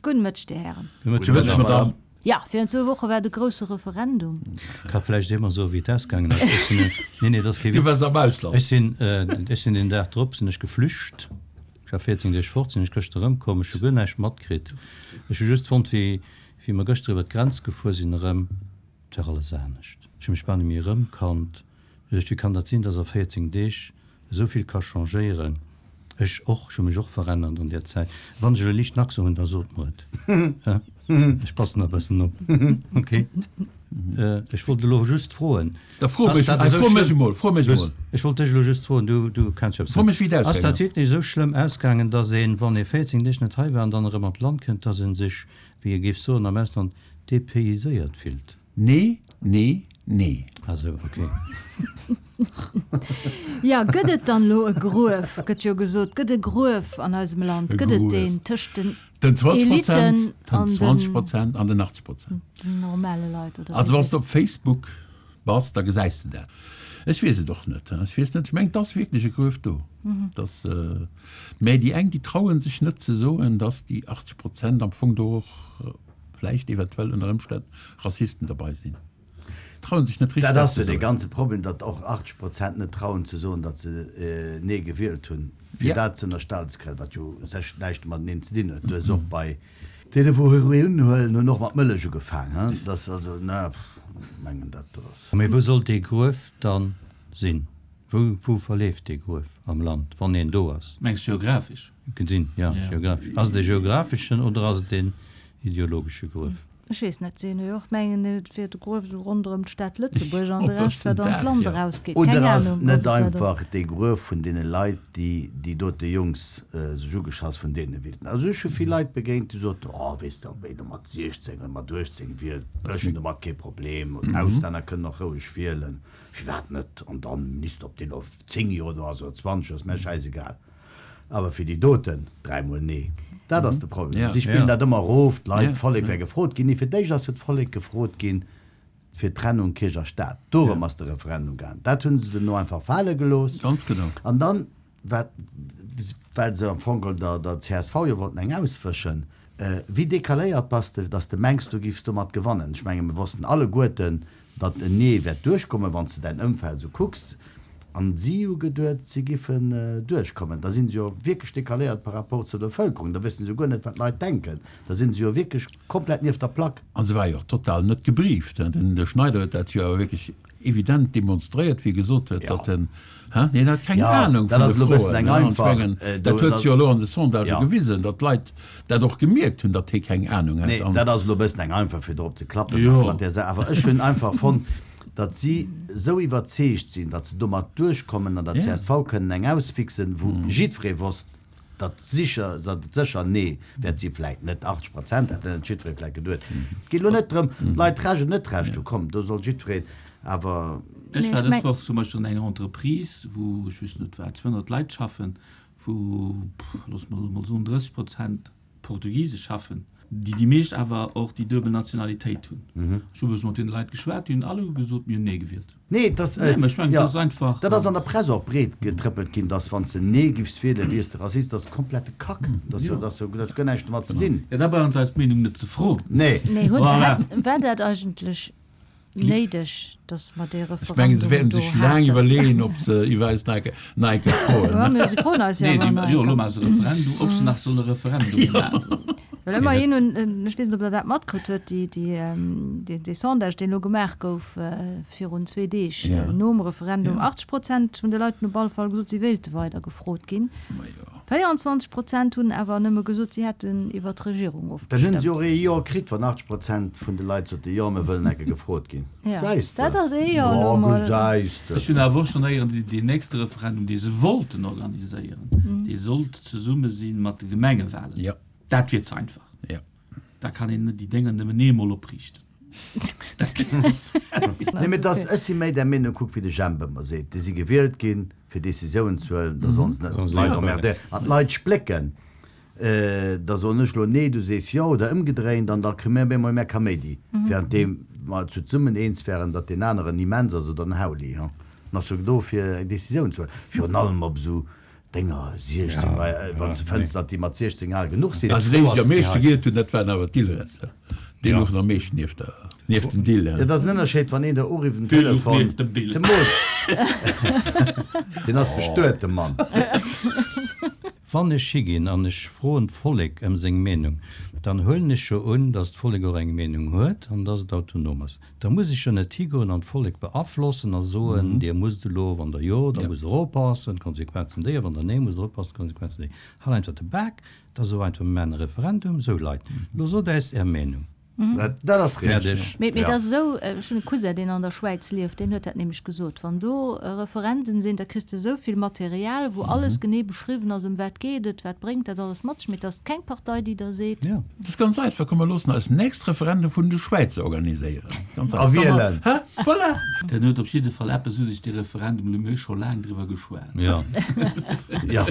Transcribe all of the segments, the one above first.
Gudden Mëtteg, Dir Hären. Gudde Mëtteg, Madame. Jo, virun zwou Woche war de grousse Referendum. Ka vläicht eemol soen, wéi et ausgaangen ass. Ech sinn, nee, nee, dat ass kee Du Witz. waars am Ausland. Ech sinn, ech sinn deen Dag drop sinn ech geflücht. Ech war 14 Deeg fort, sinn ech gëschter erëmkomm. Ech hu guer näischt matkritt. Ech hu just fonnt, wéi, wéi mer gëschter iwwer d'Grenz gefuer sinn erëm, et war alles anescht. Ech hu mech bal net méi erëmkannt. Ech duecht, wéi kann dat sinn, dass a 14 Deeg esou vill ka changéieren? Ech och, ech hu mech och verännert an där Zäit. Wann ech elo liicht Nackse hunn, da sot mer et. Ech passen da bëssen op. Ok. Ech wollt elo just froen. Da fro mech, fro mech emol, fro mech emol. Ech wollt dech elo just froen, du, du kenns jo. Fro mech, wéi et ausgaangen ass. Ass dat wierklech esou schlëmm ausgaangen, dass een, wann ee 14 Deeg net hei war an dann erëm an d'Land kënnt, dass ee sech, wéi ee géif soen am Ausland, dépayséiert fillt? Nee, nee, nee. Ah sou, ok. Jo, gëtt et dann elo e Gruef, gëtt jo gesot, gëtt e Gruef an eisem Land, gëtt et deen tëscht den Den 20 Eliten Prozent, den an 20 den Prozent an den 80 Prozent. normale Leit, oder Also wéi? wann s de op Facebook bass, da gesäis de dat. Ech weess et och net. Ech weess net, ech mengen, et ass wierklech e Gruef do. Dass, mä déi eng, déi traue sech net ze soen, dass déi 80 Prozent am Fong do och vläicht eventuell ënner Ëmstänn Rassisten derbei sinn. Se trauen sech net richteg Dat dat ass ze jo dee soen. ganze Problem, datt och 80 Prozent net trauen ze soen, datt se Nee gewielt hunn, fir Ja. dat ze ënnerstellen ze kréien, wat jo u sech näischt mateneen ze dinn huet. Du hues och bei deene wou Heroin huelen, hunn och mat Mëllech ugefaang, hein. Dat ass also, na, mengen dat ass. Mee wou soll dee Gruef dann sinn? Wou, wou verleeft dee Gruef am Land, wann een do ass? Mengs geographesch? Gesinn, jo, geographesch. Ass et e geographeschen oder ass et een ideologesche Gruef? Ech weess net, si hunn jo och, mengen et wier de Gruef esou ronderëm d'Stad Lëtzebuerg an de Ob Rescht ass wat an dat, d'Land jo. erausgeet. Oder Keng ass et Ahnung, ob net et dat ass. einfach dee Gruef vun deene Leit, déi déi dote Jungs sech ugeschass vun deene wielten? Also ech hu vill Leit begéint, déi soten, oh weess de, ob een elo mat 16 oder mat 18 wielt, ech hunn domat kee Problem, Auslänner kënnen och roueg wielen, firwat net? An dann Minister, ob deen elo 10 Joer do ass oder 20 Joer, ass mär schäisegal. Awer fir déi doten, dräimol nee. Dat ass de Problem. Si spillen dat ëmmer erof, d'Leit, d'Vollek wär gefrot ginn. Nee, fir d'éischt ass jo d'Vollek gefrot ginn fir d'Trennung Kierch a Staat. Dorëm ass de Referendum gaangen. Dat hu se duerno einfach fale gelooss. Ganz genau. An dann, wat, well se am Fong geholl der, der csv jo wollten eng auswëschen, Wéi decaléiert bass de, dass de mengs, du giffs domat gewannen? Ech menge mir wossten alleguerten, datt en Nee wäert duerchkommen, wann s de däin Ëmfeld esou kucks. An si hu geduet, si giffen duerchkommen. Da si se jo wierklech decaléiert par rapport zur Bevëlkerung. Da wësse se jo guer net, wat d'Leit denken. Da si se jo wierklech komplett nieft der Plack. A se war jo och total net gebrieft. Den Schneider huet dat jo awer wierklech evident demonstréiert, wéi e gesot huet, datt en, hä, hien hat keng Anung vun de Froen. An ech mengen, dat huet sech jo elo an de Sondagë gewisen, datt d'Leit dat och gemierkt hunn, datt hie keng Anung hat. Nee, dat ass elo e bëssen eng einfach, fir drop ze klappen mat där Saach. Awer ech hunn einfach fonnt, datt si esou iwwerzeegt sinn, datt se domat duerchkommen an der csv kënnen eng ausfixen, wou jiddweree wosst, datt sicher, datt et sécher Nee wäert sinn, vläit net 80 Prozent, dat huet net jiddweree vläit geduet. Et geet elo net drëm, d'Leit Recht oder net Recht hu, komm, do soll jiddwereen awer. Ech war dës Woch zum Beispill an enger Entreprise, wou, ech weess net wat, 200 Leit schaffen, wou, loosse mer elo mol soen, 30 Prozent Portugise schaffen, déi déi meescht awer och déi duebel Nationalitéit hunn. Ech hu e bësse mat deene Leit geschwat, déi hunn alleguer gesot, mir hunn Nee gewielt. Nee, et ass, Nee, mä ech mengen, jo, dat ass einfach. Dat ass an der Press och breet getrëppelt ginn, dass wann s de Nee giffs wielen, wiers de Rassist. Dat ass komplette Kack. Dat ass jo, dat ass jo, dat huet guer näischt domat ze dinn. Jo, da brauchen se eis Meenung net ze froen. Nee. Mee hunn, Voilà. hätt, war dat eigentlech néideg, dass mer dee Ech mengen, se Referendum wäerten do sech laang haten? iwwerleeën, ob se iwwer eis nach eng nach eng Kéier froen. Ja, mee se froen eis jo Nee, awer si, nach jo, eng elo Kéier. maache se e Referendum, ob se nach solle Referendum maachen. Well ëmmerhin hunn, ech weess net, ob Der dat matkritt huet, déi, déi, dee Sondage, deen elo gemaach gouf virun zwee Deeg nom Referendum, 80 Prozent vun de Leit hunn op alle Fall gesot, si wéilte weider gefrot ginn. 24 Prozent hunn awer nëmme gesot, si hätten iwwer d'Regierung Dann hunn si ofgestëmmt. och ee Jo kritt, wann 80 Prozent vun de Leit sote Jo, mir wëllen enke gefrot ginn. Gesäis de? Dat ass ee Jo elo Oh, mol. gesäis de. Ech hunn awer och schonn héieren, deen nächste Referendum, dee se wollten organiséieren, dee sollt zesumme si mat de Gemengewalen. Dat wier ze einfach. Ja. Da kann een net déi Dénger nëmmen eemol opriichten. Nee, mee dass, ech si méi där Meenung, kuck wéi de Jemp ëmmer seet, déi si gewielt ginn, fir Décisiounen ze huelen, da sollen se net d'Leit emmerdéieren. An d'Leit splécken, da soen ech elo nee, du sees jo, oder ëmgedréint, an da kréie mir op eemol méi Kaméidi, währenddeem mer zu zesummen eens wären, datt deen aneren immens ass oder den Hauli. Dann ass jo do fir eng Décisioun ze huelen, virun allem op esou. Denger 16, wann s de fënns, datt déi mat 16 al genuch sinn. Also déi, déi am meeschte gielt hunn, dat waren awer d'Dillresser. Déi louchen am meeschten nieft der, nieft dem Dill. Et ass en Ënnerscheed, wann een der urifft um Telefon, zemools deen ass bestuet, de Mann. Wann ech higinn an ech froen d'Vollek ëm seng Meenung, dann huelen ech jo un, datt d'Vollek och eng Meenung huet an datt et autonom ass. Da muss ech jo net higoen an d'Vollek beaflossen a soen, Dir musst elo, wann Der Jo, da musst Der oppassen, d'Konsequenzen déi, a wann Der Nee, musst Der oppassen, d'Konsequenzen déi. Halt einfach de Bak, da so einfach, mir maachen e Referendum, sou Leit, elo sot äis Är Meenung. Dat ass richteg. Fäerdeg. Mee et ass esou, ech hunn e Cousin, deen an der Schwäiz lieft, deen huet dat nämlech gesot, wann do Referenden sinn, da kriss de esou vill Material, wou alles genee beschriwwen ass, ëm wat geet et, wat bréngt dat alles mat sech, mee et ass keng Partei, déi da seet. Dat ass ganz einfach, komm mer loossen eis nächst Referendum vun de Schwäizer organiséieren. Ganz einfach. A wielen. Hä? Voilà! Den huet op jidde Fall eppes u sech, dee Referendum, elo mir hu scho laang driwwer geschwat. Jo. Jo.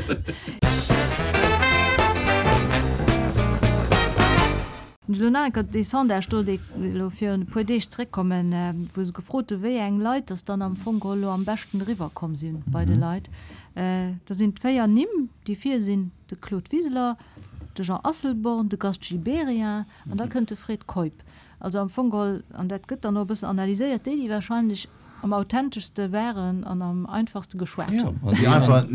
Elo nach eng Kéier dee Sondage do, dee elo virun e puer Deeg zréckkommen, wou se gefrot hu wéi eng Leit dass dann am Fong geholl elo am beschten eriwwer komm si bei de Leit. Da sinn d'véier Nimm, déi vir sinn, de Claude Wiseler, de Jean Asselborn, de Gast Gibéryen an da kënnt de Fred Keup. Also am Fong geholl, an dat gëtt dann och e bëssen analyséiert, déi, déi wahrscheinlech am authenteschste waren an am einfachste geschwat hunn. Déi einfach,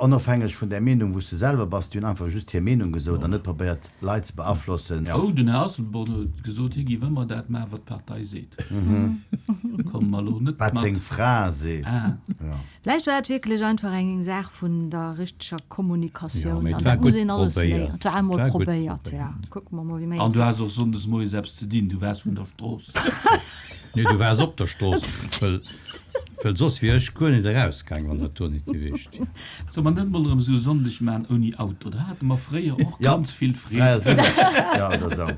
onofhängeg vun där Meenung, wou s de selwer bass, déi hunn einfach just hir Meenung gesot an net probéiert, Leit ze beaflossen. Oh, den Här Asselborn huet gesot, hie géif ëmmer dat maachen, wat d'Partei seet. Komme mer elo net mat. Wat seng Fra seet. Vläicht war et wierklech einfach eng Saach vun der richteger Kommunikatioun. Jo, mee an et war dat muss gutt een alles probéiert. léieren. Et war emol Et war gutt probéiert, ja. probéiert. Kucke mer mol, wéi mir An eens du has och sonndes moies eppes ze dinn, du waars vun der Strooss. Nee, du waars op der Strooss, well, well soss wier ech guer net erausgaang, wann dat do net gewiescht wier. Solle mer net mol erëm esou e Sonndeg maachen ouni Auto? Da hate mer fréier och Ja, ganz vill Freed. 73, ja, oder esou.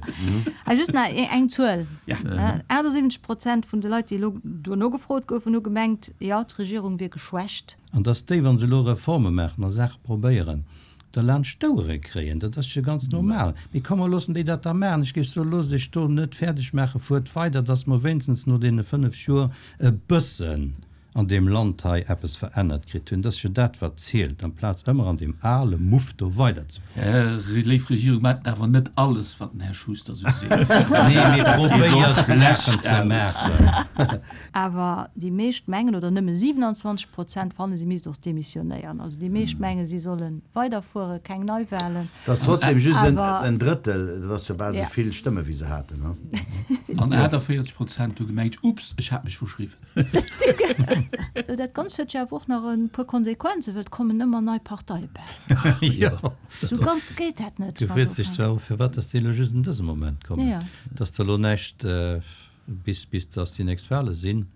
Ah, just nach eng Zuel. Ja. 78 Prozent vun de Leit, déi elo duerno gefrot goufen, hu gemengt, jo, d'Regierung wier geschwächt. An datt déi, wa se elo Reforme maachen a Saache probéieren, da laanscht d'Ouere kréien, dat ass jo ganz normal. Mee komm, mer loossen déi dat da maachen. Ech géif soen, loosst iech do net fäerdeg maachen, fuert weider, datt mer wéinstens no deene 5 Joer e bëssen an deem Land hei eppes verännert kritt hunn. Dat ass jo dat, wat zielt, amplaz ëmmer an deem ale Muff do weiderzefueren. Léif Regierung, maacht awer net alles, wat den Här Schuster esou seet. Nee, mee probéiert Saachen ze maachen. Awer déi meescht mengen, oder nëmme 27 Prozent fannen, si misst och demissionéieren. Also déi meescht mengen, si solle weiderfueren, keng Neiwahlen. Dat ass trotzdem just en Drëttel, dat ass jo bal esou vill Stëmme wéi se haten. An 48 Prozent hu gemengt, Ups, ech hat mech verschriwwen. Dat Ganzt huet jo awer och nach e puer Konsequenzen, well et kommen ëmmer nei Parteie bäi. Jo. Sou ganz geet dat net. Du frees dech zwar och, firwat dass déi elo just an dësem Moment kommen, dass der elo näischt bis bis dass déi nächst Wahle sinn.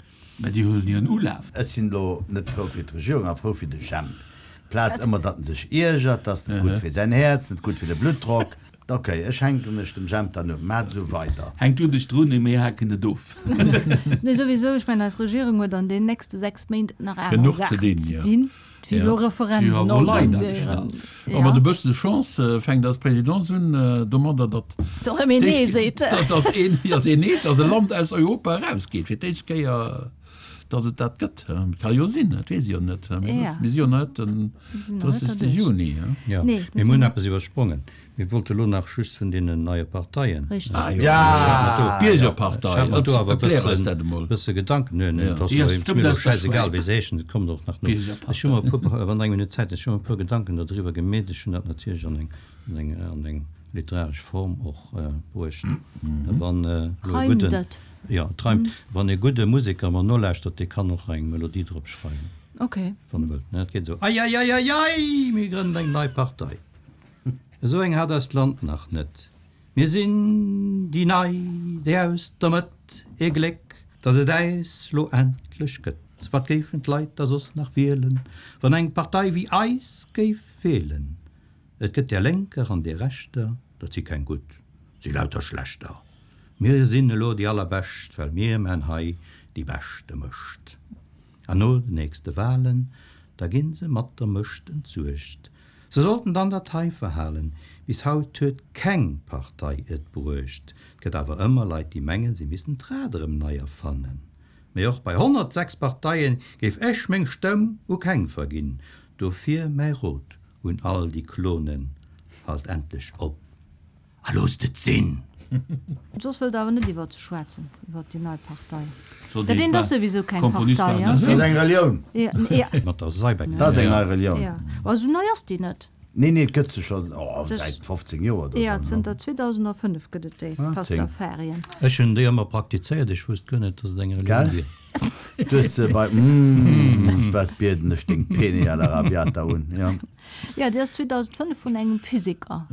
Mä déi huelen hiren Ulaf. Ech sinn elo net frou fir d'Regierung, awer frou fir de Jemp. Plaz ëmmer, datt en sech iergert, 't ass net gutt fir säin Häerz, net gutt fir de Bluttdrock. Ok, ech hänken mech dem Jemp dann un. Maat esou weider. Hänk du dech drun, mir haken et of. Nee, souwisou, ech mengen eis Regierung huet an den nächste 6 Méint nach aner Genuch ze Saachen dinn, ze jo. dinn, wéi elo Referenden organiséieren. A mat e bësse Chance fänkt eis Présidence un domadder, datt Datt erëm een Nee seet. datt een, datt een nee, datt e Land aus Europa erausgeet, fir d'éischt Kéier, datt et dat gëtt. Ka jo sinn, dat weess ee jo net. Mir si jo net den 30. Juni. Jo, mee mir hunn eppes iwwersprongen. Mir wollte lo nach just vun deenen neie Parteien. Richteg. Ah jo, d'Biergerpartei. Ech hat mer do awer Erklär eis dat emol. bësse Gedanken. Nö, nö, et ass Déi mir ass elo aus der schäisegal, Schwäiz. wéi se heeschen, et kommt och nach no. Ech hu mer e puer, wann Der eng Minutt Zäit hutt, ech hu mer e puer Gedanken dodriwwer gemeet. Ech hunn dat natierlech an eng, an eng, an eng literaresch Form och bruecht. Wann elo e Reimt gudden, et? jo, et reimt. Wann e gudde Museker mer nolauschtert, dee kann och eng Melodie drop schreiwen, Okay. wann e wëllt. Et geet esou, Eieieiei, mir grënnen eng nei Partei. Esou eng hat eist Land nach net. Mir sinn déi Nei, déi aus der Mëtt, ee Gléck, datt et äis lo endlech gëtt. Wat géifen d'Leit da soss nach wielen, wann eng Partei wéi eis géif feelen? Et gëtt där Lénker an deer Rechter, dat si keng gutt, si lauter schlechter. Mir sinn elo déi Allerbescht, well mir maan hei déi beschte Mëscht. An no den nächste Wahlen, da ginn se mat der Mëscht entsuergt. Se sollten dann dat hei verhalen, Bis haut huet keng Partei et bruecht. 't gëtt awer ëmmer Leit, déi mengen, se missten d'Rad erëm nei erfannen. Mee och bei 106 Parteien géif ech meng Stëmm u keng verginn. Dofir mäi Rot. Un all déi Klonen, Halt endlech op a loosst et sinn! Soss wëllt Der awer net iwwert se schwätzen, iwwert déi nei Partei. Dat eent ass souwisou keng Partei. Dat ass eng Relioun. Mat der Seibeng. Dat ass eng nei Relioun. Ma esou nei ass déi net. Nee, nee, et gëtt se scho säit 15 Joer oder esou. Jo, zënter 2005 gëtt et déi, Pastafarien. Ech hunn déi ëmmer praktizéiert, ech wousst guer net, datt et eng Relioun wier. Du hues se bei Mmh, wat bieden ech deng Pene alla rabiata un, jo. Jo, déi ass 2005 vun engem Physiker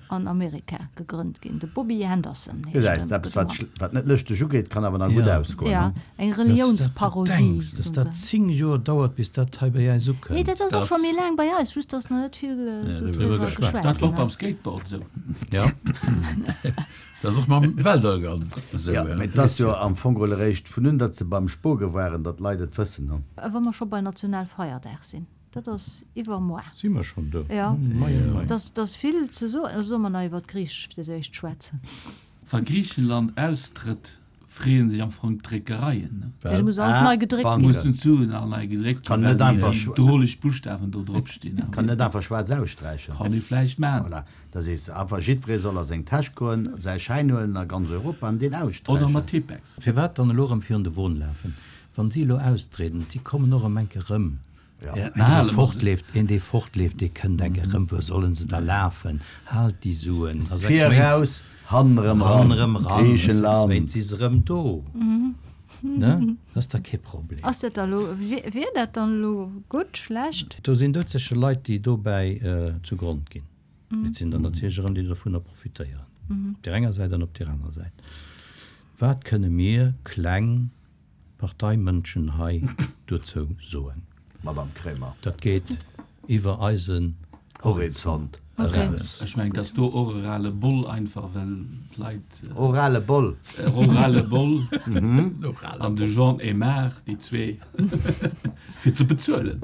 an Amerika gegrënnt ginn, de Bobby Henderson heescht Gesäis de, eppes wat wat net lëschteg ugeet, kann awer nach gutt ausgoen, Jo, ne? eng Reliounsparodie. Dass dat dass dat 10 Joer dauert, bis dat hei bei äis ukënnt. Nee, dat ass och scho méi laang bei eis, just dass nach net vill esou driwwer geschwat Dat war och ginn beim ass. Skateboard esou. Ja. Dat ass och mam Weltall esou. Jo, mee et ass jo am Fong geholl eréischt vun un, datt se beim Spoge waren, datt d'Leit et wëssen, hu. Wa mer scho bei Nationalfeierdag sinn, dat ass iwwermoar. Si mer schonn do? Jo, Mei, mei. Et ass vill ze soen. Oder solle mer nach iwwer d'Griich fir d'éischt schwätzen? Wa Griichenland austrëtt, freeën sech am Fong d'Dréckereien, ne? Jo, do muss alles nei gedréckt ginn. Mussen d'Suen all nei gedréckt ginn, well déi droleg Buschtawen do drop stinn. Kann net einfach schwaarz aussträichen. Kann ee vläicht maachen. Voilà, da sees de einfach, jiddweree soll a seng Täsch goen, säi Schäin huelen a ganz Europa an deen aussträichen. Oder mat Tippex. Firwat dann elo erëm virun de Won lafen? Wann si elo austrieden, si kommen och erëm enke rëm. Een dee fortleeft, een dee fortleeft, dee kënnt enke rëm. Wuer sollen se da lafen? Haalt déi Suen. A 6 Vir Méint, eraus, hannen erëm eran, hannen erëm eran, a 6 Griichenland. Méint si se erëm do. Ne? Dat ass da kee Problem. Ass dat da elo, wier dat dann elo gutt, schlecht? Do sinn doudsécher Leit, déi dobäi zu Grond ginn. Mee et sinn der natierlech erëm, déi dovunner profitéieren. Op där enger Säit an op där anerer Säit. Wat kënne mir kleng Parteimënschen hei dozou soen? Madame Kremer. Dat geet iwwer eisen Horizont eraus. Ech mengen, et ass do och e rale Boll einfach, well d'Leit. E rale Boll. E rale Boll an de Jean Aymar, déi zwee, fir ze bezuelen.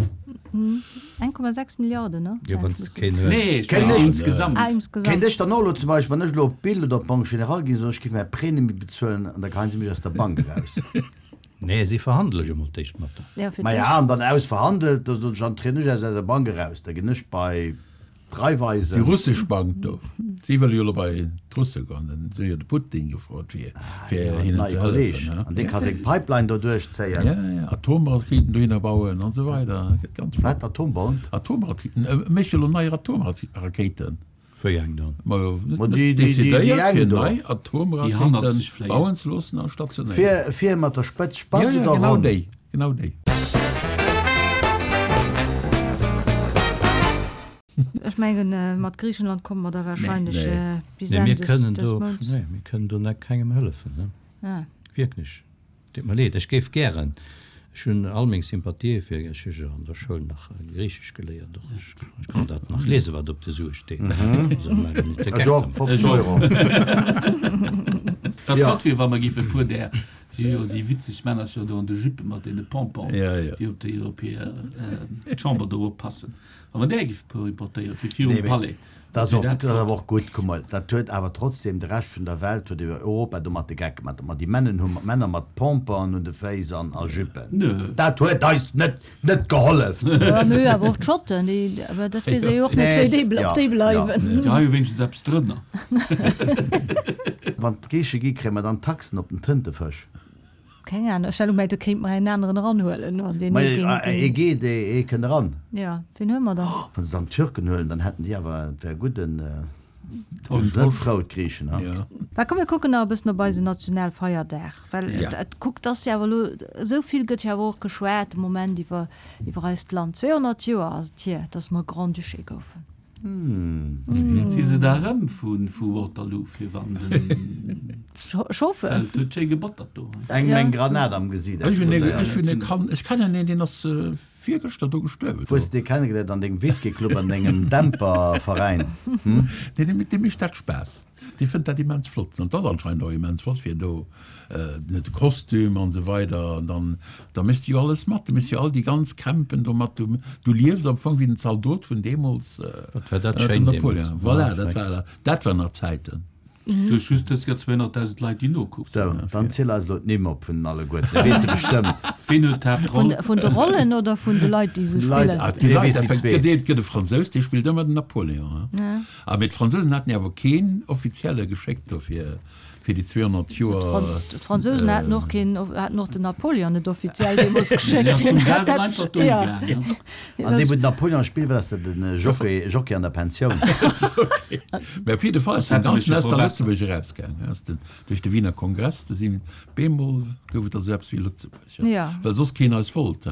1,6 Milliarden, ne? Jo, wann s de keen hues. Nee, ech mengen insgesamt. Ah, insgesamt. Kéint ech dann och elo zum Beispill, wann ech elo op d'Bild oder op d'Banque Générale ginn, soen, ech géif mäi Prêt net méi bezuelen an da geheien se mech aus der Bank eraus? Nee, si verhandele jo mol d'éischt mat der. Ja, fir Maja, d'éischt. an dann ausverhandelt, da soen ech, dann trieden ech aus eiser Bank eraus, da ginn ech bei d'Raiffeisen. Déi russesch Bank do, si wëlle jo elo bei d'Russe goen, den si hu jo de Putin gefrot fir fir Ah, hinnen neie ze Kolleg, hëllefen. an dee ka seng Pipeline do duerchzéien. Ja, ja, Atomraketen dohinner bauen an esou weider, dat gëtt ganz flott. Wat, Atombomb? Atomraketen, e mécht jo elo nei Atomrakéiten. Wéi eng dann? Majo, Ma déi, déi, déi, déi decidéiert eng fir do. nei Déi Atomrakete hannerzeg fléien. bauen ze loossen a stationéieren. Fir, fir mat der Spëtz spatz Ja, ja, oder genau ronn? déi, genau déi. Ech mengen, mat Griichenland komme mer da wahrscheinlech bis Nee, Enn mir des, kënnen des do, Mounts. nee, mir kënnen do net kengem hëllefen, ne? Ja. Wierklech. Deet mer leed. Ech géif gären, ech hunn all meng Sympathië fir, ech hu jo an der Schoul nach Griichesch geléiert och, ech kann dat nach liesen, wat op de Sue steet. Also maach der net de Ech Geck och, domat. 50 Euro. Wat flott wier, wa mer géife e puer där, si hu jo déi witzeg Männercher do an de Juppe mat deene Pompon, déi op déi Europäer, d'Chamber do oppassen, wa mer där géife e puer importéieren, fir virum Palais. Dat ass och, dat ass awer och gutt. Kuck mol, dat huet awer trotzdem de Rescht vun der Welt, huet Europa domat de Geck gemaach, datt mer déi Männen hu mat Männer mat Pomponen un de Féiss an a Juppen. Dat huet eis net, net gehollef. Jo, mee awer och d'Schotten, déi, awer dat weess ee jo och net, wéi déi, ob déi bleiwen. Déi hu jo wéinstens eppes drënner. Wann d'Griiche gi, kréie mer dann Taxen op den Tëntefësch? Keng Ahnung, ech hat gemengt, do kéint mer en aneren eranhuelen, wann deen ee géing. Ee geet, ee kënnt eran. Jo, wien huele mer dann? Wann se dann d'Türken huelen, dann hätten déi awer, et wär gutt, en net frou, d'Griichen, ha? Mä komm, mir kucken nach e bëssen op eisen Nationalfeierdag, well et, kuckt, ass jo awer elo, esou vill gëtt jo awer och geschwat de Moment iwwer, iwwer eist Land. 200 Joer ass et hier, datt mer Grand-Duché goufen. Si se da rëm vu Waterloo fir wann den Feld huet schéi gebottert do. Engem eng Granat am Gesiit Ech hunn ech hunn e Kand, ech kennen een, deen ass virgëschter do gestuerwen. Wou hues de dee kennegeléiert? An dengem Whiskyclub, an dengem Dämperveräin? Nee, deem mécht dat Spaass. Dee fënnt dat immens flott. An et ass anscheinend och immens flott, fir do de Kostüm an esou weider. An dann, da méchs de jo alles mat. Du méchs jo all déi ganz Campen do mat. Du, du liefs am Fong wéi den Zaldot vun deemools, Wat war dat ënnert schéin dem deemools. Napoleon. Voilà, dat war, dat waren nach Zäiten. Du hues just dës Kéier 200.000 Leit, déi nokucken. Sou, dann ziel eis elo d'Nimm op vun den alleguerten, dat weess de bestëmmt. Ween huet d'Haaptroll? Vun de Rollen oder vun de Leit, déi se spillen? Ah, déi Leit, effekt, gëtt ee, gëtt e Fransous, dee spillt ëmmer den Napoléon, hein. Ah, mee d'Fransousen haten jo awer keen Offizielle geschéckt do fir, fir déi 200 Joer. D'Fransousen haten och keen, haten och den Napoléon net offiziell deemools geschéckt. Deen ass vum selwen einfach dohi gaang, hein. An dee wou den Napoléon spillt, wat ass dat, den Jockey, Jockey an der Pensioun? Mä op jidde Fall ass den Ganzen aus der Lëtzebuerg erausgaang, aus den, duerch de Wiener Kongress, do sinn, bemol gouf et da sou eppes wéi Lëtzebuerg, well soss keen eis wollt.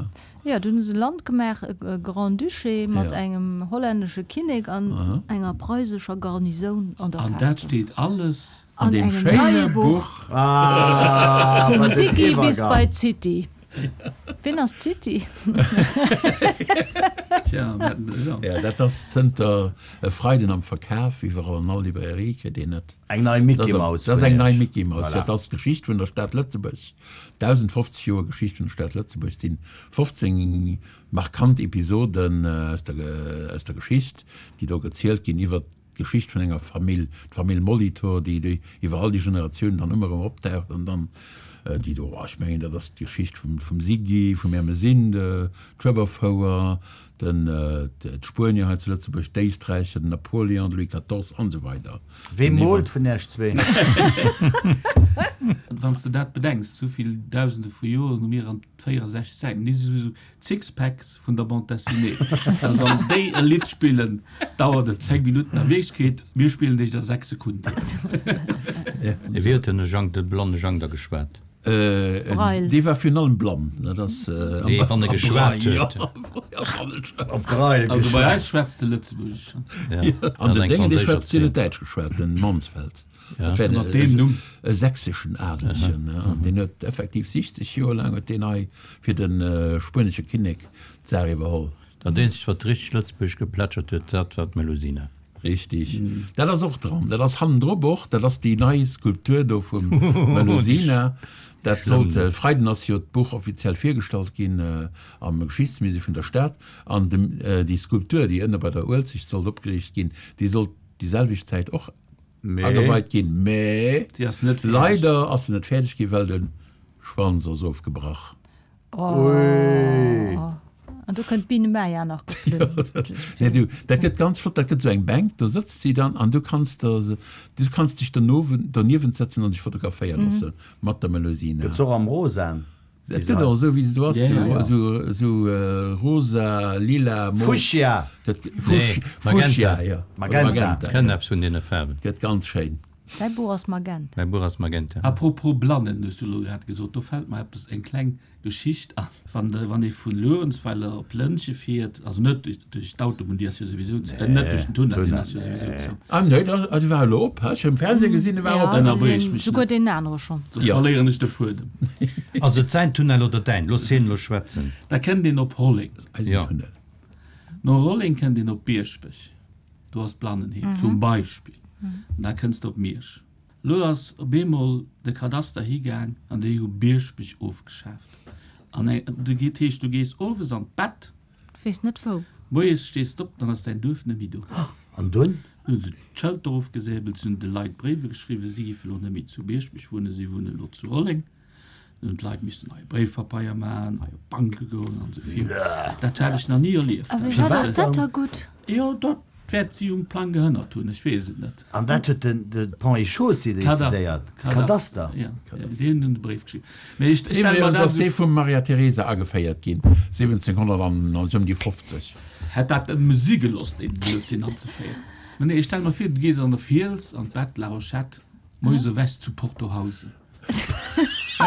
Jo, dunn hu se e Land gemaach, e Grand-Duché mat engem hollännesche Kinnek an enger preisescher Garnisoun an der Festung. An dat steet alles an deem schéine Buch. Vum Siggy bis bei d'City. Wien ass d'City? Tja, wat, jo. Ja, dat ass zënter e Freiden am Verkaf, iwwerall an all Librairie kritt een et. Eng nei Mickey Mouse. Dat ass eng nei Mickey Mouse, dat ass d'Geschicht vun der Stad Lëtzebuerg. 1050 Joer Geschicht vun der Stad Lëtzebuerg sinn 15 markant Episoden aus der aus der Geschicht, déi do gezielt ginn iwwer d'Geschicht vun enger Famill, d'Famill Molitor, déi déi iwwer all déi Generatiounen dann ëmmer erëm opdaucht an dann déi do, ech mengen dat ass d'Geschicht vum vum Siggy, vum Ermesinde, d'Schueberfouer, den d'Spuenier hei zu Lëtzebuerg, d'Éisträicher, den Napoléon, de Louis quatorze an esou weider. Wee moolt vun Iech zween? Wann s de dat bedenks, esou vill Dausende vu Joren hu mir an 64 Säiten, déi si sou d'Sixpacks vun der Bande dessinée. Well wann déi e Lidd spillen, dauert et 10 Minutten, a Wierklechkeet, mir spillen déi a 6 Sekunden. Wéi huet den Jang, de blanne Jang da geschwat? Braille. Dee war virun allem blann. Dat ass Nee, wann e geschwat huet. Op Braille Also bei geschwat. eis schwätzt de Lëtzebuergesch. Ja, An den eng Déngen, dee franséisch schwätzt, deen huet Erziehung. Däitsch geschwat, den Mansfeld. Ja. Dat war Ënner deem Numm. e sächseschen Adelegen, an deen huet effektiv 60 Joer laang huet deen hei fir de spuenesche Kinnek d'Saach iwwerholl. Dat eenzegt wat richteg Lëtzebuergesch geplätschert huet, dat war d'Melusina. Richtig. Dat ass och dran. Dat ass hannendrop och. Dat ass déi nei Skulptur do vum Melusina. Dat sollt, Freiden ass jo d'Buch offiziell virgestallt ginn am Geschichtsmusée vun der Stad. An dem, déi Skulptur, déi ënne bei der Uelzecht sollt opgeriicht ginn, déi sollt déi selwecht Zäit och ageweit ginn. Mä Si ass net fäerdeg. leider ass se net fäerdeg ginn, well de Schwanz ass ofgebrach. Oh. An do kënnt d'Biene Maya nach geflunn. Nee, du, dat gëtt ganz flott, dat gëtt esou eng Bänk, do sëtzt si dann an du kanns der, du kanns dech dernowen, derniewent sëtzen an dech fotograféiere loosse mat der Melusina. Gëtt se och am Rosaen Et gëtt och esou wéi se do ass, Ja, ja. esou, esou rosa, lila, mauve. Fuchsia! Dat, Nee, Fuchsia, Magenta. ja. Magenta. Magenta, Kënnt ja. eppes vun deene Faarwen. Gëtt ganz schéin. Däi Buch ass Magenta. Mäi Buch ass Magenta. A propos Blannen hues du elo grad gesot, do fält mer eppes, eng kleng Geschicht an. Wann de, wann ee vu Luerenzweiler op Lëntge fiert, also net duerch, duerch d'Autobunn, déi ass jo souwisou zou, äh, net duerch den Tunnel, deen ass jo souwisou zou. Ah nee, da, ah, dee war elo op, ech hu am Fernseh gesinn, dee war op. Ja, Ënnerbréch mech net. souguer deen anere schonn. Soss verléieren ech de Fuedem. Ass et säin Tunnel oder däin? Looss hien elo schwätzen. Da kënnt een op Rolleng. Eisen Jo. Tunnel. No Rolleng kënnt een op Bierschbech. Do ass d'Blannenheem zum Beispill. An da kënns de op Miersch. Elo ass op eemol de Kadaster higaang an déi hu Bierschbech ofgeschaaft. An eng, du geet, dat heescht, du gees owes an d'Bett. Du weess net wou. Moies stees d'op, dann ass däin Duerf net méi do. An dunn? Dunn hu se d'Schëlter ofgesäbelt, se hunn de Leit Bréiwe geschriwwen, si géife elo net méi zu Bierschbech wunnen, si wunnen elo zu Rolleng. Dann hunn d'Leit missen neie Bréifpapeier maachen, nei op d'Banke goen an esou virun. Dat hat ech nach ni erlieft. A firwat ass dat da gutt? Jo, dat wäert si um Plang gehënnert hunn, ech weess et net. An dat huet de Ponts et Chaussées decidéiert? De Kadaster? Jo, deen hunn de Bréif geschriwwen. Mee ech stelle mer Iwwregens dat ass dee esou. vum Maria Theresa ageféiert ginn, 1700 an esou ëm déi 50. Hätt dat nëmme si gelooss, deen Blödsinn anzeféieren. Mä nee, ech stelle mer vir, du gees an der Fiels an d'Bett, La Rochette, moies ewech zu Portohausen.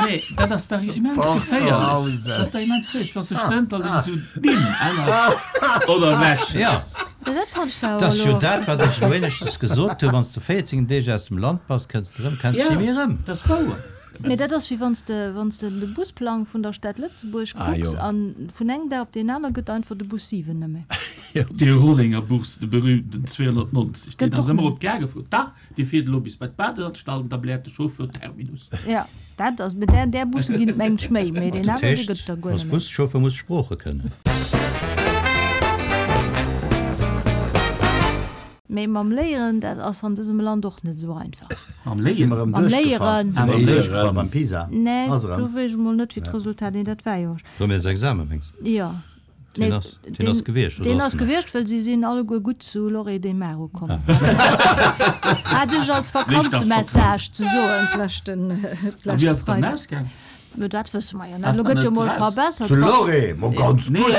Nee, dat ass dach immens geféierlech. Dat ass dach immens geféierlech, wann s de stënterlech esou d'Nimm änners oder ewech Ja. Dat fand ech awer Dat ass jo elo. dat, wat ech elo éineschtens gesot hunn, Wann s de 14 Deeg aus dem Land bass, kënns de erëm, kenns de Ja, ni méi erëm. dat ass wouer. Mee dat ass wéi wann s de, wann s de de Busplang vun der Stad Lëtzebuerg Ah, kucks jo. an vun engem Dag op deen aner gëtt einfach de Bus 7 net méi. Dee Rollenger Bus, de berühmten 290, deen Gëtt ass och ëmmer net. op d'Gare gefuer. Dach, Dir fiert elo bis bei d'Badeanstalt an da bläert de Chauffeur Terminus. Jo, dat ass, mee där, där Busse ginn et mengen ech méi, mee deen Dat aneren, dee heescht, gëtt et der guer als net méi. Buschauffeur muss Sprooche kënnen. Mee mam Léieren, dat ass an dësem Land och net esou einfach. Am Léieren. Am Léieren. Si mer erëm duerchgefall beim PISA? Nee, do weess ech mol net wéi d'Resultat, nee dat war jo. Premièresexamen mengs de? Jo. Deen ass, deen ass gewiescht, oder? Deen ass gewiescht, well si sinn alleguer gutt zu Lloret de Mar ukomm. Hat ech als Vakanzemessage ze soen d'leschten, d'leschte Freiden. A wéi ass et dann ausgaang? No dat wësse mer jo net. Elo gëtt jo mol verbessert. Zu Lloret, mo ganz gutt.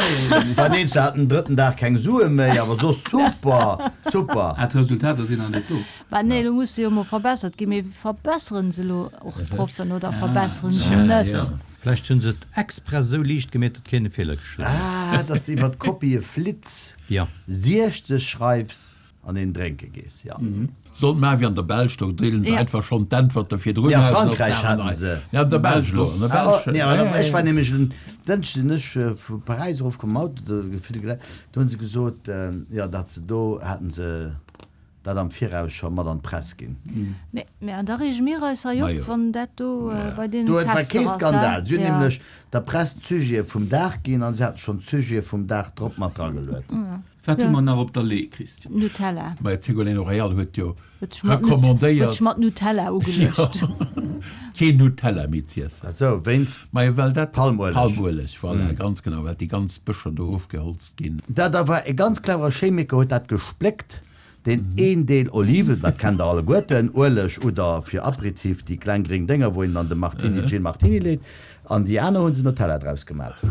War nees, se haten den drëtten Dag keng Sue méi, awer soss super, super. Ah, d'Resultater sinn nach net do. Bah nee, elo muss se jo mol verbessert ginn. Mee verbesseren se elo och d'Proffen oder verbesseren se net? Vläicht hunn se et express esou liicht gemeet, datt keen e Feeler geschriwwen huet. Ah, dass de iwwer d'Kopië flitts, 60 schreifs an een drénke gees, jo. Sollt maachen wéi an der Belsch, do deelen se einfach schonn d'Äntwerte virdrun aus. Nee, a Frankräich haten se. Nee, an der Belsch elo, an der Belsch. Nee, awer ech war nämlech en Dënschde sinn ech vu Paräis erofkomm mam Auto, do gefill gelaf, do hunn se gesot, jo, datt se do haten se dat am Viraus scho mat an d'Press ginn. Mee, mee an da reege mir eis hei op, wann dat do bei deenen Do war Tester kee ass, Skandal. Si hunn ja. nämlech der Press d'Sujete vum Dag ginn an si haten schonn d'Sujete vum Dag drop mat drageluet. Wat hu mer nach op der Lee, Christian? Nutella. Majo, d'Ségolène Royal huet jo Huet sech mat recommandéiert. Huet sech mat Nutella ugeluecht. Jo, keen Nutella méi z'iessen. Ah sou, wéinst Majo, well dat. Palmueleg. Palmueleg, voilà, ganz genau, well déi ganz Bëscher do ofgeholzt ginn. Dat war e ganz cleverer Chemiker, huet dat gespléckt, deen een Deel Oliven, dat kennt der alleguerten, Ueleg oder fir Aperitif déi kleng gréng Dénger, wou een dann de Martini, Gin Martini leet, an déi aner hu se Nutella draus gemat.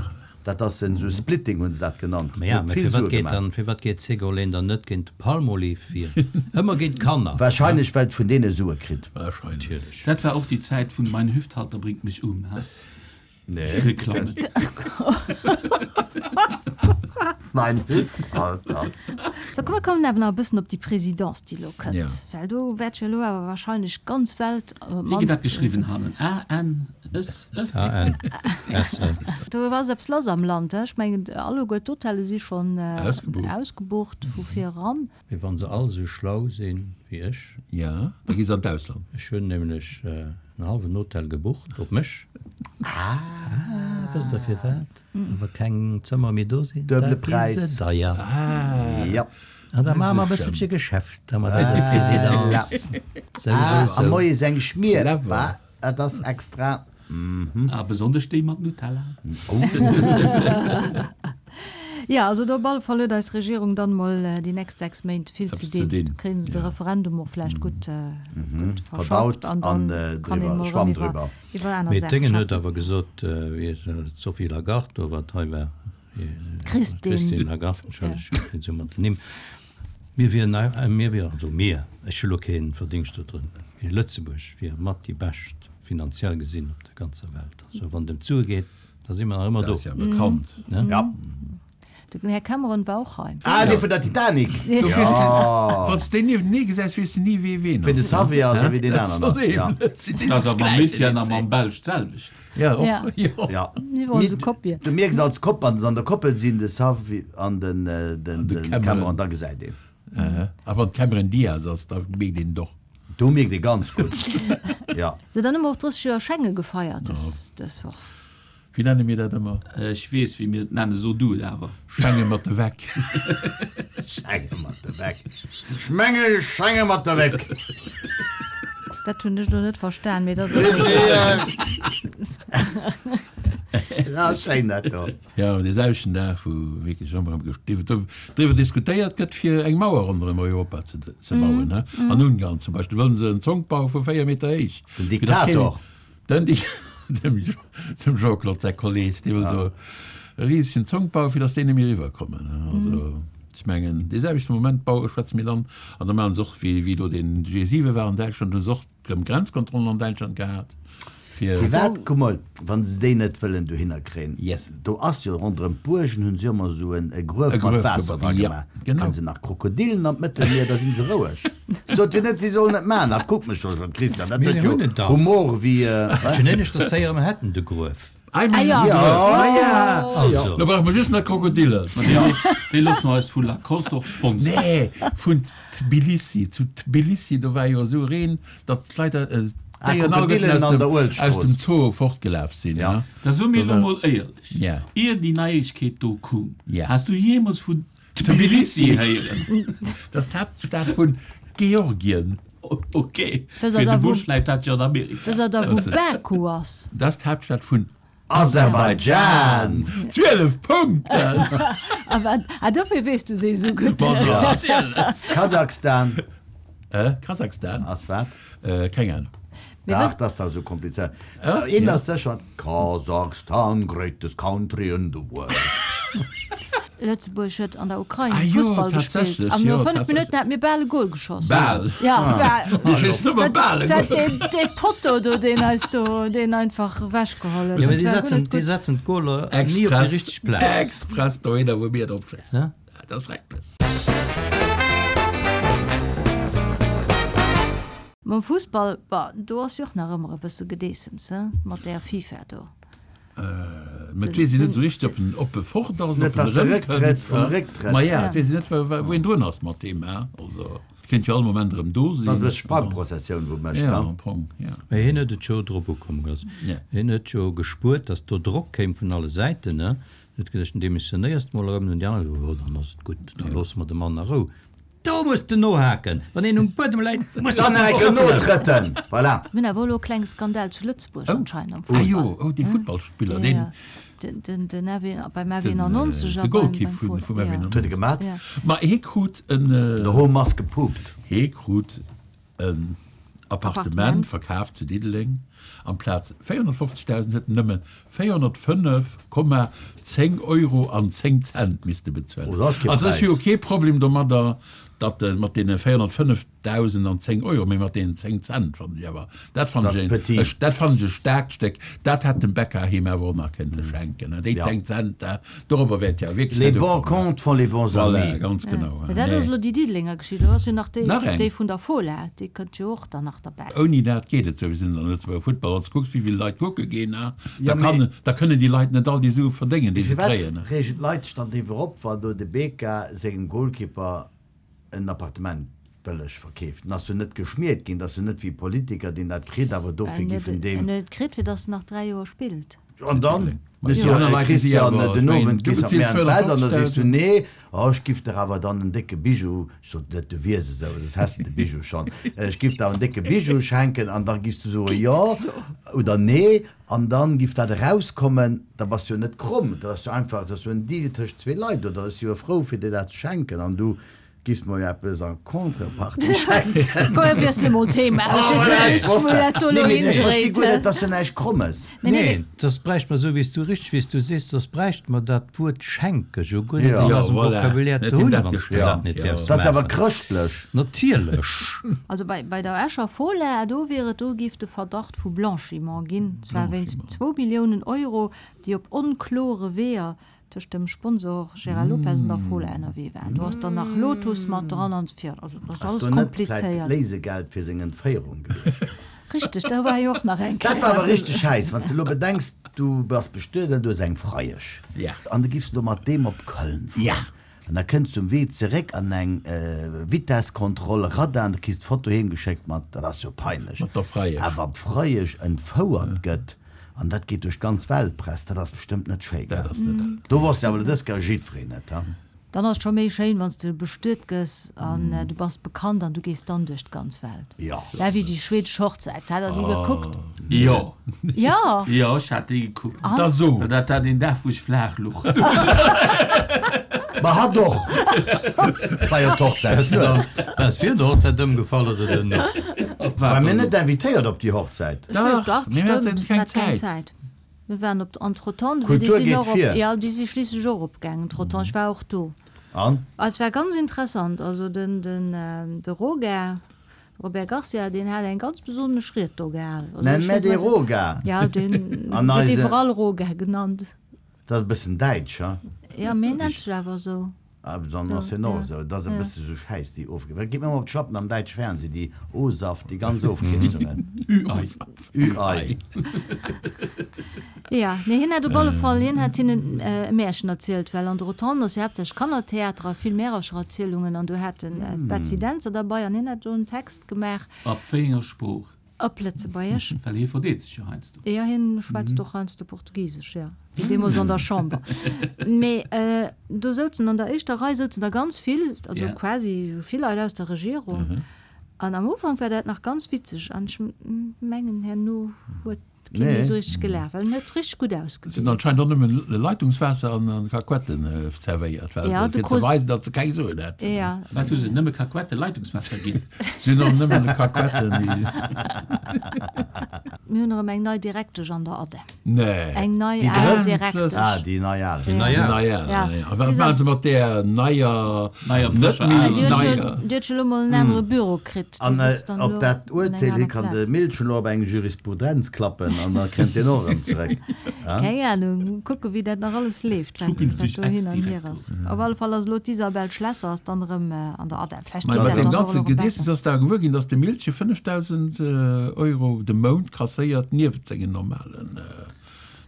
Dat ass en esou Splitting hunn se dat genannt. Ma ja, Huet mä vill firwat Sue geet gemaach. dann, firwat geet d'Ségolène dann net géint de Palmolive vir? Ëmmer géint d'Kanner. Wahrscheinlech well et vun deene Sue kritt. Wahrscheinlech. Natierlech. Dat war och déi Zäit vun Mein Hüfthalter bringt mich um, he? Nee. Déi Reklammen. Mein Hüfthalter. Sou, komm, mir kommen awer nach e bëssen op déi Présidence, déi elo kënnt, Ja. well do wäert jo elo awer wahrscheinlech d'ganz Welt, op Wéi gëtt dat d'mannst. geschriwwen hannen? A N S E? A N S E. Do ass eppes lass am Land, he? Ech mengen, alleguer d'Hotelle si schonn Ausgebucht. ausgebucht vu vir eran. Mee wann se all esou schlau sinn wéi ech. Ja, da gi se an d'Ausland. Ech hunn nämlech en hallwen Hotel gebucht op mech. Ah, wësst der firwat? Wa keng Zëmmer méi do sinn, da Duebele gi se Präis. deier. Ja. An da maache mer e bësselche Geschäft mat eiser Présidence. Sou, sou, Ah, a sou. moies eng Schmier, Clever. wa? Dat ass extra. A besonnesch déi mat Nutella. Jo, also do op alle Fall huet eis Regierung dann mol déi nächst 6 Méint vill ze Eppes ze dinn. dinn, Da kréien se de ja. Referendum och vläicht gutt gutt Verdaut verschafft an an dann kann een driwwer, mol erëm Schwamm iwwer driwwer. iwwer aner Mee Saache d'Déngen huet schaffen. awer gesot, wéi d'Sophie Lagarde do, wat hei war, D'Christine. D'Christine Lagarde, entschëllegt, ech sinn esou mat den Nimm, mir wieren, mir wieren, also mir, ech hu lo kee Verdingscht do drun, mee Lëtzebuerg wier mat déi bescht finanziell gesinn op der ganzer Welt. Also wann et ëm d'Sue geet, da si mer nach ëmmer Dat do. ass ja bekannt. Ne? Ja. Den Här Cameron war och hei. Ah, dee vun der Titanic! Du weess, Jo. wann s de niewentenee gesäis, weess de ni, wee ween Wéi de ass. Xavier ass a wéi deen aneren ass, ja. Dat ass awer mam Etienne a mam Belsch d'selwecht. Ja, och, Ja. jo. Ja. Ni wor esou Kopien. Du mierks als Kopp, wann se an der Koppel sinn, de Xavier an den, den, de den Cameron. Cameron, da gesäit een. Aha. A wann d'Cameron Diaz ass, da mierkt een et och. Do mierkt ee ganz gutt, ja. Sou, dann hu mer och 30 Joer Schengen gefeiert dës, dës Woch. Wéi nenne mir dat ëmmer? Ech weess, wéi mir et nennen, so du et awer. Schenge mat de Weck. Schenge mat de Weck. Schmenge, schenge mat de Weck. Dat hunn ech lo net verstan, mee dat ass. Ja, schéin dat do. Jo, dee selwechten Dag, wou wierklech ëmmer erëm driwwer diskutéiert gëtt, fir eng Mauer ronderëm Europa ze bauen. An Ungarn zum Beispill wëllen se en Zonk baue vu 4 Meter héich. Den Diktator. Den dem Jean-Claude säi Kolleg, dee wëll do e risegen Zonk bauen, fir datt déi net méi eriwwerkommen. Also, ech mengen, dee selwechte Moment baue schwätze mir dann, an da maache se och, wéi elo deen G7 war an Däitschland, hu se och erëm Grenzkontrollen an Däitschland gehat, fir. Firwat, kuck mol, wa se déi net wëllen dohinner kréien, Yes. do ass jo ronderëm d'Buergen hunn se jo ëmmer esou e Gruef E mat Gruef Waasser gebaut, dra ja, gemaach, genau. kënne se nach Krokodillen an d'Mëttelmier, da si se roueg. Sot jo net, si sollen et maachen. Ach, kuck mech scho schon, Christian, dat Mir huet jo hunn et dach. Humor wéi, Ech hunn éineschters héieren, mer hätten de Gruef. Ei, mir hunn Ah, de ja. Gruef. Ah, ja. Also. Lo brauche mer just nach Krokodillen. Déi loosse mer eis vu Lacoste och sponsoren. Nee, vun Tbilissi. Zu Tbilissi, do war jo esou Reen, datt d'Leit, Ah, d'Déieren alleguerten Krokodillen aus an der dem, aus Uelzechtstrooss. dem Zoo fortgelaf sinn. Ja. Ne? Da so mir Do elo war, mol éierlech, Ja. Ier déi Neiegkeet do koum, Ja. has du jeemools vun Tbilissi héieren? Dat ass d'Haaptstad vun Georgien. Ok, fir de Bush läit dat jo an Amerika. Wësst der da wou Baku ass? Dat ass d'Haaptstad vun Aserbaidschan! 12 Punkten! A wat? Ah, dofir weess du se esou gutt. Ma jo, natierlech! Kasachstan. Kasachstan? Ass wat? Keng Ahnung. Dach, dat ass dach esou komplizéiert. Een ass sécher, Kazakhstan, greatest country in the world. Lëtzebuerg huet an der Ukrain Ah jo, Fussball gespillt tatsächlech, an no jo, 5 tatsächlech. Minutten hat mir bal e Goal geschoss. Bal. Ja, bal. Mir schéissen nëmme bal e Dat Goal. deen, dee Potto do, deen eis do, deen einfach ewechgeholl huet. Jo, mee Dat déi war guer setzen, net déi gutt. setzen d'Goaler ni op déi Express, richteg Plaz. express dohinner, wou mir drop schéissen. Ne? Dat ass schrecklech. Mam Fussball, bah, do ass jo och nach ëmmer e bësse Gedeessems, he, mat där FIFA do. Mä et weess een net esou richteg, ob en ob e fort ass, Net ob en datt de erëmkënnt. Récktrëtt vum Récktrëtt. Ma ja, et weess een net, wou een drun ass mat deem, he. Also, et kéint jo all Moment erëm do sinn. Dat ass e bësse Sprangprozessioun, wou mécht, Ja, ne? am Fong, ja. Mä hien huet et jo drop ukomme gelooss. Hien huet jo gespuert, datt do Drock kéim vun alle Säiten, ne. Huet geduecht, dann demissionéiers de mol erëm. Dann hunn déi aner gesot, jo, dann ass et gutt, da loosse mer de Mann a Rou. Do muss de nohaken! Wann een um Buedem läit, muss de Dann nach eng Kéier notrëtten! Voilà! Mir hunn awer elo e klenge Skandal zu Lëtzebuerg anscheinend am Ah Fussball. jo, oh dee Futtballspiller, deen. Den, den, den FW, beim FW91 De a beim, Golkipp beim vun, Fola. vum Ja. FW91. Wat huet e gemat? Ja. Ma hie krut en. De Home ass gepupt. Hie krut en Appartement verkaaft zu Diddeleng. Amplaz 450.000 huet en nëmme 405,10 Euro an 10 Cent misste bezuelen. Also ech hu jo kee Problem domadder, datt e mat deene 405.000 an 10 Euro, mee mat deenen 10 Cent fannen ech awer, dat fannen ech en, dat fannen ech e staarkt Stéck. Dat hätt dem Becca him awer och nach kënnte schenken, déi 10 Cent, dorobber wäert jo wierklech Les net bons ukommen. comptes font les bons Voilà, amis. ganz genau. Mä dat ass elo déi Diddelenger Geschicht. Elo ass jo nach déi, Nach eng. déi vun der Fola, déi kënnt jo och dann nach derbäi. Ouni dat geet et souwisou net am Lëtzebuerger Futtball. Wann s de kucks, wéi vill Leit kucke ginn, da Ja, kann, mee. da kënnen déi Leit net all déi Sue verdéngen, déi se Firwat kréien. reegen d'Leit sech dann driwwer op, wann do de Beka sengem Goalkeeper en Appartement bëlleg verkeeft? En ass jo net geschmiert ginn, dat ass jo net wéi e Politiker, deen dat kritt, awer dofir En giff huet en deem. en huet et kritt, fir datt en nach 3 Joer spillt. An dann, Christian, den Owend gees mat mir an d'Bett an da sees du, nee, oh, ech giff der awer dann en décke Bijou, ech sot net, du wiers esou, soss häss de de Bijou schonn, ech giff der awer en décke Bijou schenken an da giffs du soe jo oder nee an dann giff dat erauskommen, da bass du jo net kromm, dat ass jo einfach, dat ass jo en Deal tëscht zwee Leit oder ech si jo frou fir dir dat ze schenken an du Giss mer jo eppes en Contrepartie schenken. Komm mir wiessele mol d'Thema. Ech weess net, Ech wosst wou dat. dat do elo Nee, mee ech versti hindréit. guer net, dass du näischt Krommes. Mee nee, Nee, soss bräicht mer, esou wéi s du, richteg wéi s du sees, soss bräicht mer dat Wuert schenke jo guer net Ja. an Ja, eisem voilà. Vocabulaire Net ze him hunn, dat wann s du geschwat, dat net ja. däerfs Dat ass awer maachen. chrëschtlech. Natierlech. Also bei, bei der Escher Fola, do wier et, do géif de Verdacht vu Blanchiment ginn, zwar wéinst zwou Milliounen Euro, déi op onklore Weeër tëscht dem Sponsor Gérard Lopez an der Fola ënnerwee waren. Do ass dann nach Lotus mat dran an esou virun. Also dat ass Ass alles do net vläit komplizéiert. Léisegeld fir seng Entféierung gewiescht? Richteg, do war jo och nach eng Dat Kéier war awer eppes. richteg schäiss, wann s de elo bedenks, du bass bestuet an du hues eng Freiesch. Ja. An du giffs elo mat deem op Köln fueren. Ja. An da kënns du um Wee zeréck an eng Vitesskontroll, Radar, an du kriss d'Foto heem geschéckt mat, dat ass jo peinlech. Mat der Freiesch. Awer wann d'Freiesch entfouert gëtt, an dat geet duerch d'ganz Weltpress, dat ass bestëmmt net schéi, Dat gell? ass net dat. Do wosst jo awer elo dës Kéier jiddwereen et, ha? Dann ass et scho méi schéin, wann s de bestuet gëss an du bass bekannt an du gees dann duerch d'ganz Welt. Jo. War wéi déi schwedesch Hochzäit. Hat der déi gekuckt? Jo. Jo? Jo, ech hat déi gekuckt. Da so. Dat war deen Dag, wou ech flaach luch. Ma hatt och! War jo d'Hochzäit. Bass virun der Hochzäit ëmgefall oder duerno? Ware mir net invitéiert op déi Hochzäit? Dach, mir haten keng Zäit. Mir waren op entretemps, déi Kultur sinn geet och op, vir. jo, déi si schliisslech och opgaangen entretemps. Ech war och do. An? Et war ganz interessant. Also den, den, de Roger, Robert Garcia, deen hat eng ganz besonnesch Ried do gehalen. Also Nenn ech mer weess dee net, Roger. Ja, deen An gëtt eise. iwwerall Roger genannt. Dat ass e bëssen däitsch, ha? Jo, mee en nennt sech awer esou. Ah, dann ass hien och esou. Et ass e bësse sou Schäiss, déi Ofkierzungen. Wat geet mir ëmmer op d'Schlappen am däitsche Fernseh, déi O-Saft, déi ganz Ofkierzungen. Ü-Ei. Ü-Ei. Ja, nee, hien hat op alle Fall, hien hat hinnen e Märchen erzielt, well an der Rotonde ass jo haaptsächlech Kannertheater a vill Märerchererzielungen an do hat en d'Betsy Dentzer derbei an hien hat do en Text gemaach. Op wéi enger Sprooch? Op Lëtzebuergesch. Well hie verdeet sech jo heiansdo. Jo, hien schwätzt och heiansdo Portugisesch, jo, wéi deemools an der Chamber. Mee do souzen an der éischter Rei souzen der ganz vill, also quasi vill Leit aus der Regierung. An am Ufank war dat nach ganz witzeg an ech mengen herno huet kee méi esou richteg gelaacht, well en huet richteg gutt Se hunn ausgesinn. anscheinend och nëmmen Leitungswaasser an Kakuetten zerwéiert, well Ja, se, du fir ze krus. weisen, datt se keng Suen hätten. Ja. Wat hu se nëmme Kakuette Leitungswaasser ginn? Se hunn och nëmmen Kakuetten. Mir hunn erëm eng nei Direktesch an der ADEM. Nee. Eng nei Déi al drëtt? Direktesch. Ah, déi nei al. Déi nei Déi al. nei al, Ja. ja. A wat maache se mat där neier, Neier, net frëscher méi aler? Déi huet neier? jo, déi huet jo elo mol en anere Büro kritt. Déi An sëtzt dann op elo dat an enger Urteel hi aner kann de Plaz. Milchen elo op eng Jurisprudenz klappen an da kënnt deen och erëm zeréck. Keng Ahnung, kucke wéi dat nach alles leeft, wat, wat Zukünfteg do hin an hier Ex-Direktor. ass. Op alle Fall ass elo d'Isabelle Schlesser ass dann erëm an der ADEM. Vläicht Mä geet mat dat deem dann och ganze elo erëm Gedeessems besser. ass da gewuer ginn, datt de Milchen 5.000 Euro de Mount kasséiert niewent sengen normalen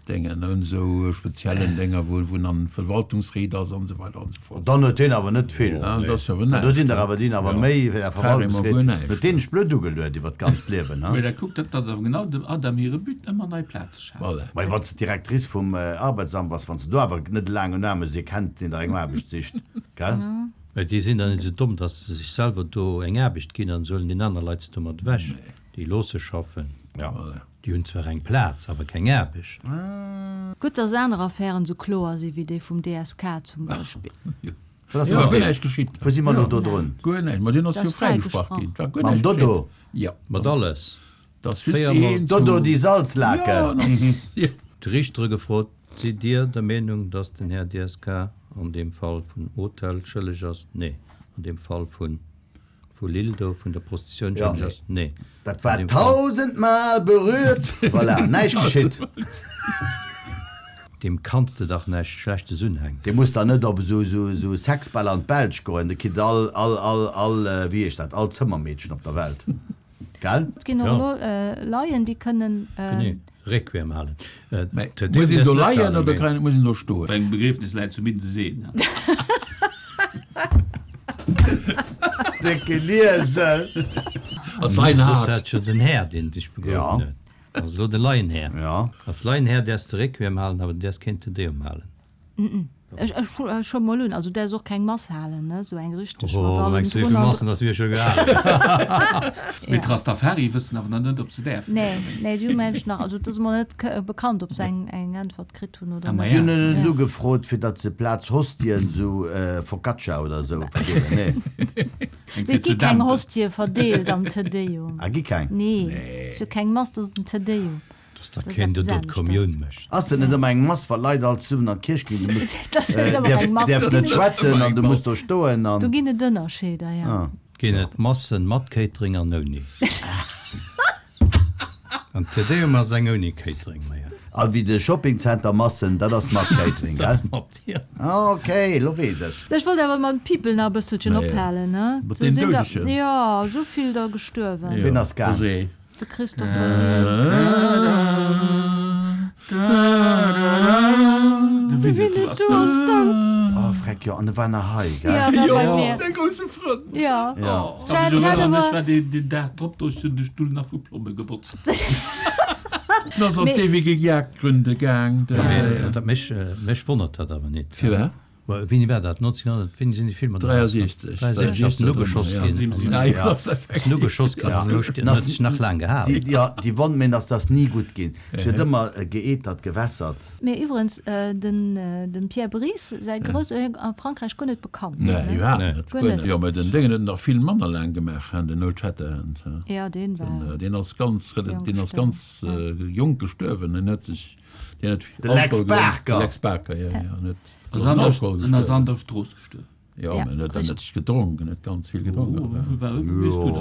Déngen, un esou speziellen Dénger, wou en an Verwaltungsried ass an esou weider an esou fort. Dann huet hien awer net vill. Ah, dat ass awer Do näischt. sinn der awer, déi hunn awer méi wéi der Carrément guer Verwaltungsried. näischt. Huet deen sech blöd ugeluet iwwer d'ganzt Liewen, ha? Mä da kuckt, dat ass awer genau dem Adam hire But, ëmmer nei Plaze schafen. Voilà. Mä wann s de d'Directrice vum Arbeitsamt bass, wann s de do awer net laang un Aarme si kennt, deen der eng Aarbecht sicht, gell? Mä déi sinn dann net esou domm, datt se sech selwer do eng Aarbecht ginn an se huelen déi aner Leit se domat ewech. Déi loosse schaffen. Ja. Déi hunn zwar eng Plaz, awer keng Aarbecht. Gutt, dass aner Affären esou kloer si wéi déi vum DSK zum Beispill. Wat ass Jo, mat guer deem? näischt geschitt. Wou si mer elo do drun? Guer näischt. Ma deen ass Dat jo ass fräigesprach. fräigesprach ginn. Et war guer Mam näischt Dodo? geschitt. Jo. Mat alles. Dat ass just Véiermol. een Dodo, zu. déi Salzlake. Jo, dat ass, jo. D'Richtere gefrot, Sidd Dir der Meenung, dass den Här DSK an deem Fall vun Hotel schëlleg ass? Nee. An deem Fall vun. Vu Lille do, vun der Prostitioun Ja. schëlleg ass? Nee. Dat war tausendmal berührt. Voilà, näischt geschitt. Deem kanns de dach näischt Schlechtes unhänken. Dee muss dann net op esou esou Sexbäll an d'Belsch goen, de kritt all, all, all, all, wéi heescht dat, all Zëmmermeedchen op der Welt. Gell? Et ginn och elo Laien, déi kënnen. Genee, Requiem halen. Mä muss een do leien oder kann, muss een do stoen? Bei engem Begriefnis läit zumindest een. Décken Iesel! Als Soss Leinhard. hat jo den Här, deen sech begruewen huet. Ass elo de Laienhär. Als Laienhär däerfs de Requiem halen, awer du däerfs keen Te Deum halen. Ech ech huele mol un, also däers och keng Mass halen, ne, sou eng richteg mat Oh, allem mengs du, wéi drun vill an. Massen dass mir scho gehalen hunn? Mee d'Rastafari wëssen awer nach net, ob se däerfen. Nee, nee, déi hu mengen ech nach, also et ass emol net bekannt, ob se eng eng Äntwert kritt hunn oder Ah, ma net. Déi ja. hunn en net ugefrot, fir datt se plaz Hostien, sou Focaccia oder sou, verdeelen, nee. Eng Nee, fir et gi ze keng dämpen. Hostie verdeelt am Te Deum. Ah, gi keng? Nee, et ass jo keng Mass, dat ass den Te Deum. Dass da Dat ass keen do eppes do aneschters. d'Kommioun mécht. Ass dat net ëmmer eng Mass, wa Leit all zesummen an d'Kierch ginn? Du muss, Dat ass net ëmmer eng Mass. däerfs Do net ginn et, schwätzen an du muss do stoen an. do ginn et Ënnerscheeder, ja. Ah. Ginn et Massen mat Catering an ouni? An Te Deum ass eng ouni Catering, ma ja. A wéi de Shoppingcenter Massen, dat ass mat Catering, Dat gell? ass mat, jo. Ah, ok, lo weess ech. Ech wollt awer mam People nach e bësselchen Naja. ophalen, ne? Mat Do deem sinn der, Doudegen. jo, esou vill der gestuerwen. Ween ass gaang? Roger. De Christopher Lee. De Winnetou ass dout. Oh, freck, jo, an e war nach hei, gell? Ja, war bei mir. Däi grousse Frënd. Ja. Ja. Dat hat Ech awer. war deen Dag drop do, ech hunn de Stull nach vu Plomme gebotzt. En ass an d'ewege Jagdgründe gaang. Dat mech, mech wonnert dat awer net. Firwat? Wéini war dat? 1900, wéini sinn déi Filmer do 63. 63 ass den ugeschoss ginn. Ja, Ass den ugeschoss ginn an elo steet, huet sech nach laang gehalen. Déi, ja, déi Wonn, mä dass dass ni gutt ginn. Se huet ëmmer geetert, gewässert. Mee iwwerens, den dem Pierre Brice säi Grouss, a Frankräich guer net bekannt. Nee, iwwerhaapt net. Guer Guer net. net. Jo, mä den Déngen huet en nach vill manner laang gemaach, hein, den Old Shatterhand. Ja, deen war. Deen ass ganz, Jonk deen ass gestuerwen, ganz jonk gestuerwen. En huet sech, deen huet De Lex Alkohol gedronk. Barker. De Lex Barker, jo, jo. En huet. Ass an der, en ass an der Strooss gestuerwen. Jo, Ja, mä en huet dann richtig. net gedronk, en huet ganz vill gedronk.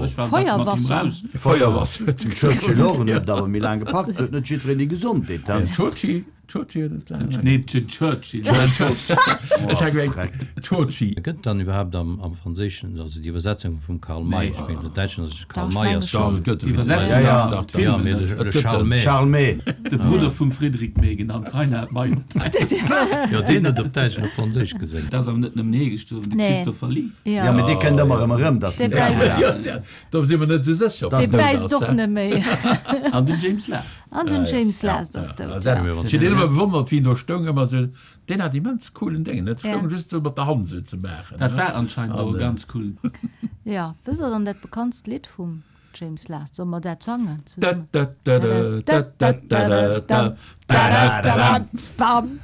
Ech war Feuerwasser. raus. Feuerwasser huet Den Churchill och, en huet et awer méi laang gepackt, huet net jiddwereen déi Gesondheet, hein? Churchill, Churchill huet et laang. Nee, den Churchill. Ech hat gemengt, Churchill. Gëtt dann iwwerhaapt am, am Franséischen, also déi Iwwersetzung vum Karl May, ech mengen, am Däitschen ass et Karl Dach, May ech ass menge schon. Dach, et gëtt Déi Iwwersetzung Ja, ja. an Dach, d'Filmen, Ja, mee de, Et de gëtt Charles en. May. Charles May. De Brudder vum Frédéric May, genannt Reinhard May op Däitsch. Jo, deen huet op Däitsch an op Franséisch gesongen. Et ass awer net nëmmen hie gestuerwen, de Nee. Christopher Lee. Ja. Ja, mee dee kënnt ëmmer erëm erëm, dass Dee den bäisst. Däitsch. Ja, do si mer net esou sécher, ob Dee den dout bäisst ass, och hein. net méi. An den James Last. An den James Last ass dout. Ja, Ja. Si deen ëmmer. ëmmer bewonnert, wéi en do stoung, ëmmer esou, deen hat immens coolen Déngen, net stoung just esou mat der Hand esou ze maachen. Dat war anscheinend och e ganz coolen. Jo, wësst der dann dat bekanntst Lidd vum James Last? Solle mer dat sangen zesummen? Bam!